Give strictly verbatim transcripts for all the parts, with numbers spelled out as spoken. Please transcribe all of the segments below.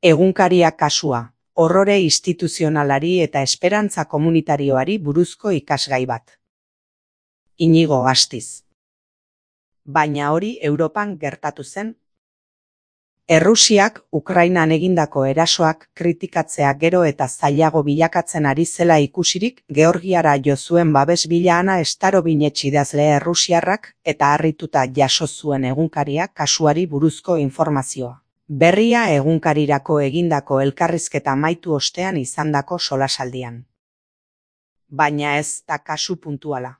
Egunkaria kasua, horrore instituzionalari eta esperantza komunitarioari buruzko ikasgai bat. Inigo Astiz. Baina hori Europan gertatu zen. Errusiak Ukrainan egindako erasoak kritikatzea gero eta zailago bilakatzen ari zela ikusirik, Georgiara jo zuen babes bila Ana Starovinets idazle errusiarrak eta harrituta jaso zuen egunkaria kasuari buruzko informazioa. Berria egunkarirako egindako elkarrizketa amaitu ostean izandako solasaldian. Baina ez da kasu puntuala.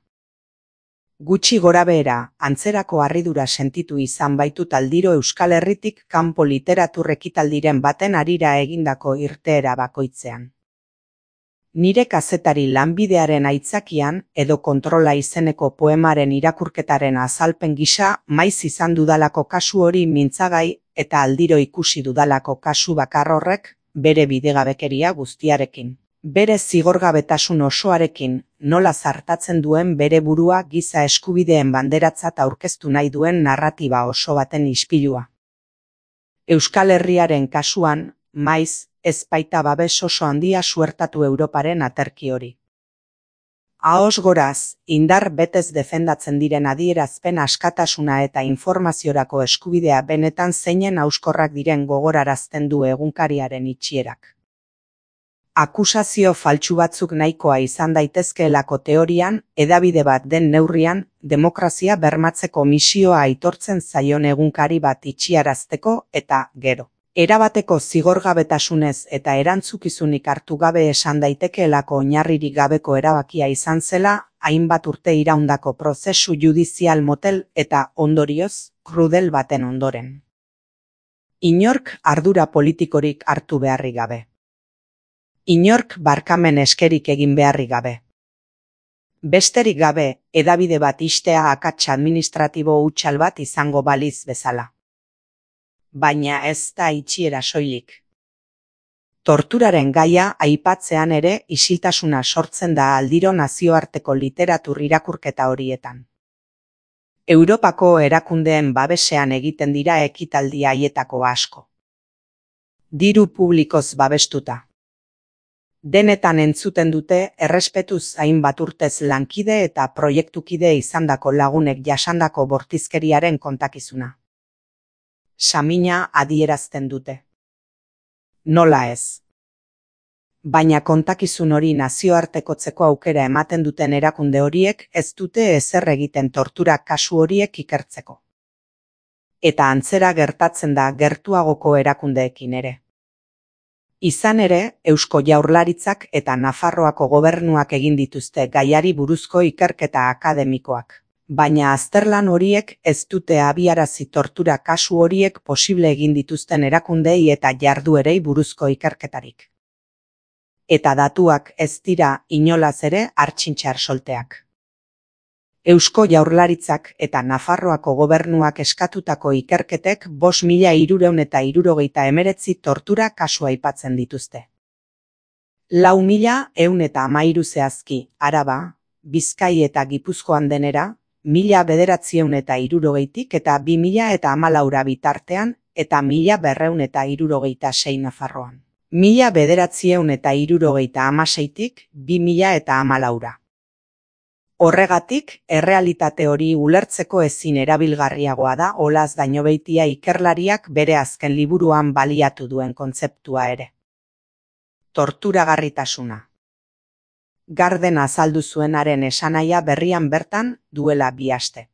Gutxi gorabehera, antzerako harridura sentitu izan baitut aldiro Euskal Herritik kanpo literatur ekitaldiren baten harira egindako irteera bakoitzean. Nire kazetari lanbidearen aitzakian edo kontrola izeneko poemaren irakurketaren azalpen gisa maiz izan dudalako kasu hori mintzagai eta aldiro ikusi dudalako kasu bakar horrek bere bidegabekeria guztiarekin. Bere zigorgabetasun osoarekin, nola zartatzen duen bere burua giza eskubideen banderatzat aurkeztu nahi duen narratiba oso baten ispilua. Euskal Herriaren kasuan, maiz, ez baita babes oso handia suertatu Europaren aterki hori. Ahoz goraz, indar betez defendatzen diren adierazpen askatasuna eta informaziorako eskubidea benetan zeinen hauskorrak diren gogorarazten du egunkariaren itxierak. Akusazio faltsu batzuk nahikoa izan daitezkeelako teorian, hedabide bat den neurrian, demokrazia bermatzeko misioa aitortzen zaion egunkari bat itxiarazteko eta, gero, erabateko zigorgabetasunez eta erantzukizunik hartu gabe esan daitekeelako oinarririk gabeko erabakia izan zela, hainbat urte iraundako prozesu judizial motel eta, ondorioz, krudel baten ondoren. Inork ardura politikorik hartu beharrik gabe. Inork barkamen eskerik egin beharrik gabe. Besterik gabe, hedabide bat ixtea akats administratibo hutsal bat izango baliz bezala. Baina ez da itxiera soilik. Torturaren gaia aipatzean ere isiltasuna sortzen da aldiro nazioarteko literatur irakurketa horietan. Europako erakundeen babesean egiten dira ekitaldi haietako asko. Diru publikoz babestuta. Denetan entzuten dute errespetuz hainbat urtez lankide eta proiektukide izandako lagunek jasandako bortizkeriaren kontakizuna. Samina adierazten dute. Nola ez. Baina kontakizun hori nazioartekotzeko aukera ematen duten erakunde horiek ez dute ezer egiten tortura kasu horiek ikertzeko. Eta antzera gertatzen da gertuagoko erakundeekin ere. Izan ere, Eusko Jaurlaritzak eta Nafarroako gobernuak egin dituzte gaiari buruzko ikerketa akademikoak. Baina azterlan horiek ez dute abiarazi tortura kasu horiek posible egin dituzten erakundei eta jarduerei buruzko ikerketarik. Eta datuak ez dira inolaz ere hartxintxar solteak. Eusko Jaurlaritzak eta Nafarroako gobernuak eskatutako ikerketek bost mila hirurehun eta hirurogeita hemeretzi tortura kasu aipatzen dituzte. Lau mila ehun eta hamairu zehazki, Araba, Bizkai eta Gipuzkoan denera, mila bederatziehun eta hirurogeitik eta bi mila eta hamalaura bitartean eta mila berrehun eta hirurogeita sei Nafarroan. Mila bederatziehun eta hirurogeita hamaseitik bi mila eta hamalaura. Horregatik, errealitate hori ulertzeko ezin erabilgarriagoa da Olaz Dañobeitia ikerlariak bere azken liburuan baliatu duen kontzeptua ere. Torturagarritasuna. Garden azaldu zuenaren esanahia berrian bertan duela bi aste.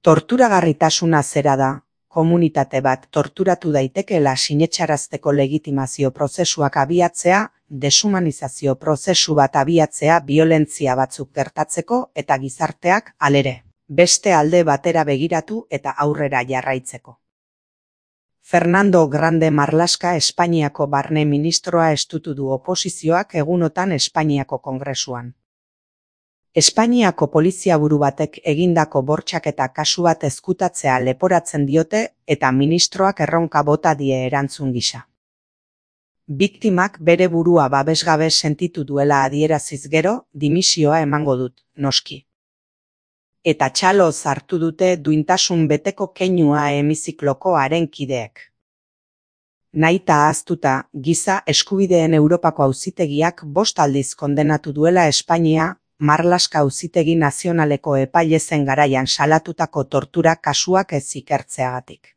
Torturagarritasuna zera da, komunitate bat torturatu daitekeela sinetsarazteko legitimazio prozesuak abiatzea, deshumanizazio prozesu bat abiatzea biolentzia batzuk gertatzeko eta gizarteak, halere, beste alde batera begiratu eta aurrera jarraitzeko. Fernando Grande Marlaska Espainiako barne ministroa estutu du oposizioak egunotan Espainiako Kongresuan. Espainiako poliziaburu batek egindako bortxaketa kasu bat ezkutatzea leporatzen diote eta ministroak erronka bota die erantzun gisa. Biktimak bere burua babesgabe sentitu duela adieraziz gero, dimisioa emango dut, noski. Eta txalo hartu dute duintasun beteko keinua hemizikloko haren kideek. Nahita ahaztuta, Giza Eskubideen Europako Auzitegiak bost aldiz kondenatu duela Espainia, Marlaska Auzitegi Nazionaleko epaile zen garaian salatutako tortura kasuak ez ikertzeagatik.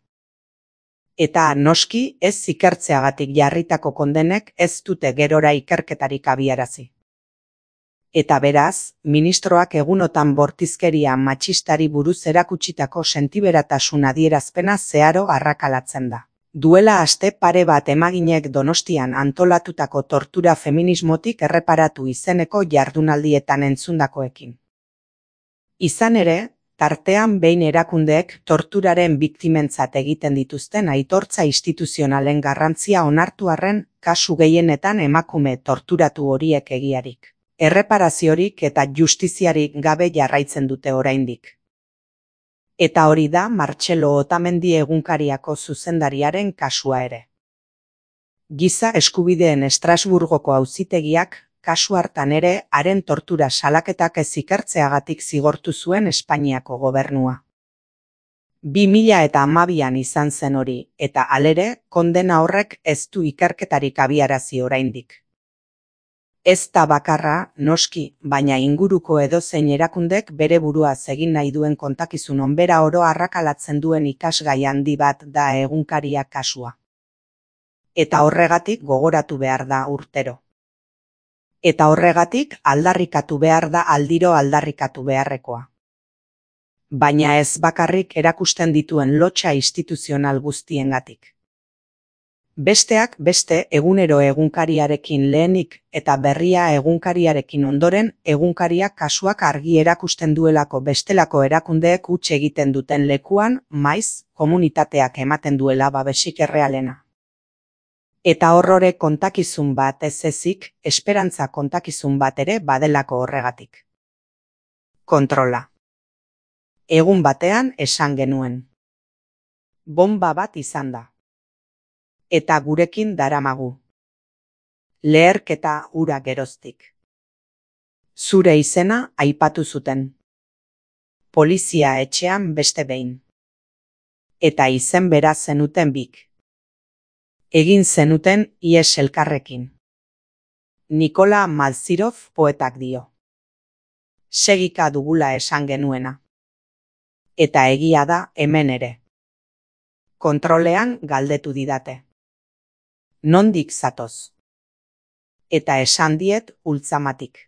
Eta noski ez ikertzeagatik jarritako kondenek ez dute gerora ikerketarik abiarazi. Eta beraz, ministroak egunotan bortizkeria matxistari buruz erakutsitako sentiberatasun adierazpena zeharo arrakalatzen da. Duela aste pare bat emaginek Donostian antolatutako tortura feminismotik erreparatu izeneko jardunaldietan entzundakoekin. Izan ere, tartean behin erakundeek torturaren biktimentzat egiten dituzten aitortza instituzionalen garrantzia onartu arren, kasu gehienetan emakume torturatu horiek egiarik, erreparaziorik eta justiziarik gabe jarraitzen dute oraindik. Eta hori da Martxelo Otamendi egunkariako zuzendariaren kasua ere. Giza Eskubideen Estrasburgoko auzitegiak kasu hartan ere haren tortura salaketak ez ikertzeagatik zigortu zuen Espainiako gobernua. bi mila eta hamabian izan zen hori, eta halere, kondena horrek ez du ikerketarik abiarazi oraindik. Ez da bakarra, noski, baina inguruko edozein erakundek bere buruaz egin nahi duen kontakizun onbera oro arrakalatzen duen ikasgai handi bat da egunkaria kasua. Eta horregatik gogoratu behar da urtero. Eta horregatik aldarrikatu behar da aldiro aldarrikatu beharrekoa. Baina ez bakarrik erakusten dituen lotsa instituzional guztiengatik. Besteak beste egunero egunkariarekin lehenik eta berria egunkariarekin ondoren egunkaria kasuak argi erakusten duelako bestelako erakundeek huts egiten duten lekuan maiz komunitateak ematen duela babesik errealena. Eta horrore kontakizun bat ez ezik, esperantza kontakizun bat ere badelako horregatik. Kontrola. Egun batean esan genuen. Bomba bat izan da. Eta gurekin daramagu. Leherketa hura geroztik. Zure izena aipatu zuten. Polizia etxean beste behin. Eta izen bera zenuten bik. Egin zenuten ies elkarrekin. Nikola Malzirov poetak dio. Segika dugula esan genuena. Eta egia da hemen ere. Kontrolean galdetu didate. Nondik zatoz? Eta esan diet ultzamatik.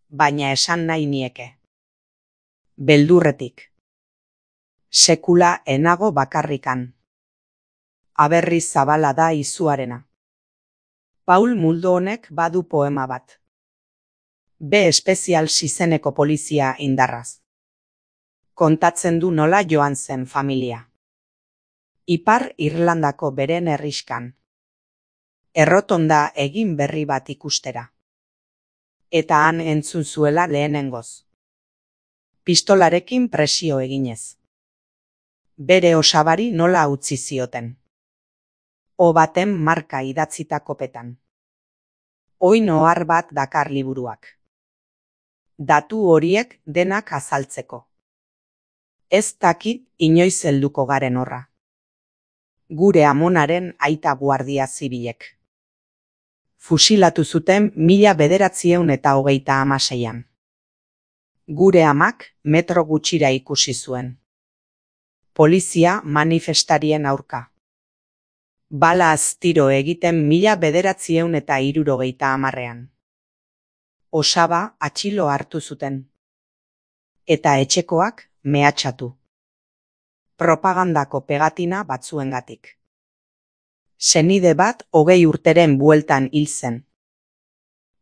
Baina esan nahi nieke. Beldurretik. Sekula enago bakarrikan. Aberri zabala da izuarena. Paul Muldo honek badu poema bat. B espezial izeneko polizia indarraz. Kontatzen du nola joan zen familia. Ipar Irlandako beren herriskan. Errotonda egin berri bat ikustera. Eta han entzun zuela lehenengoz. Pistolarekin presio eginez. Bere osabari nola utzi zioten. O baten marka idatzitako petan. Oin ohar bat dakar liburuak. Datu horiek denak azaltzeko. Ez dakit inoiz helduko garen horra. Gure amonaren aita guardia zibilek. Fusilatu zuten mila bederatzieun eta hogeita hamaseian. Gure amak metro gutxira ikusi zuen. Polizia manifestarien aurka. Bala aztiro egiten mila bederatzieun eta hirurogeita hamarrean. Osaba atxilo hartu zuten. Eta etxekoak mehatxatu. Propagandako pegatina batzuengatik. Senide bat hogei urteren bueltan hil zen.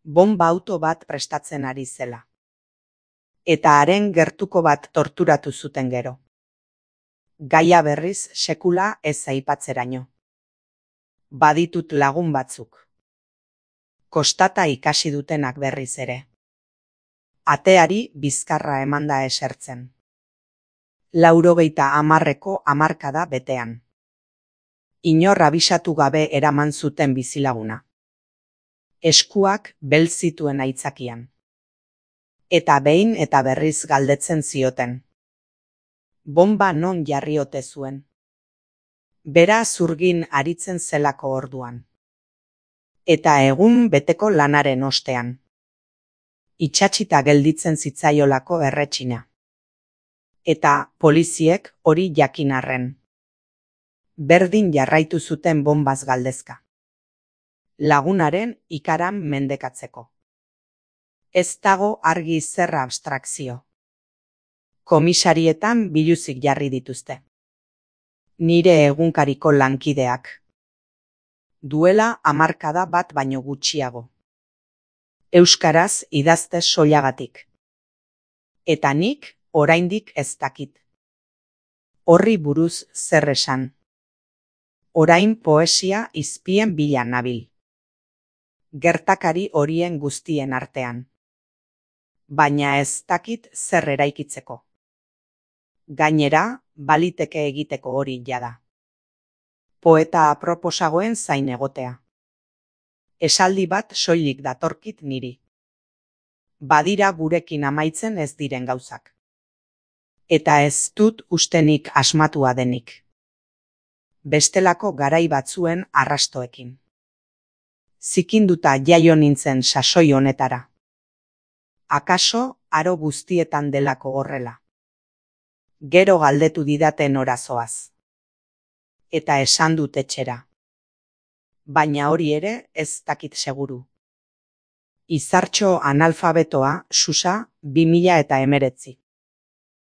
Bomba auto bat prestatzen ari zela. Eta haren gertuko bat torturatu zuten gero. Gaia berriz sekula ez aipatzeraino. Baditut lagun batzuk. Kostata ikasi dutenak berriz ere. Ateari bizkarra emanda esertzen. Laurogeita hamarreko hamarkada betean. Inor abisatu gabe eraman zuten bizilaguna. Eskuak bel zituen aitzakian. Eta behin eta berriz galdetzen zioten. Bomba non jarri ote zuen. Bera zurgin aritzen zelako orduan. Eta egun beteko lanaren ostean. Itxatxita gelditzen zitzaiolako erretxina. Eta poliziek hori jakin arren. Berdin jarraitu zuten bonbaz galdezka. Lagunaren ikaran mendekatzeko. Ez dago argi zer abstrakzio. Komisarietan biluzik jarri dituzte. Nire egunkariko lankideak. Duela hamarkada bat baino gutxiago. Euskaraz idazte soilagatik. Eta nik oraindik ez dakit. Horri buruz zer esan. Orain poesia izpien bila nabil. Gertakari horien guztien artean. Baina ez dakit zer eraikitzeko. Gainera, baliteke egiteko hori jada. Poeta aproposagoen zain egotea. Esaldi bat soilik datorkit niri. Badira gurekin amaitzen ez diren gauzak. Eta ez dut ustenik asmatua denik. Bestelako garai batzuen arrastoekin. Zikinduta jaio nintzen sasoi honetara. Akaso aro guztietan delako horrela. Gero galdetu didaten orazoaz. Eta esan dut etxera. Baina hori ere ez dakit seguru. Izartxo analfabetoa, Susa, bi mila eta hemeretzi.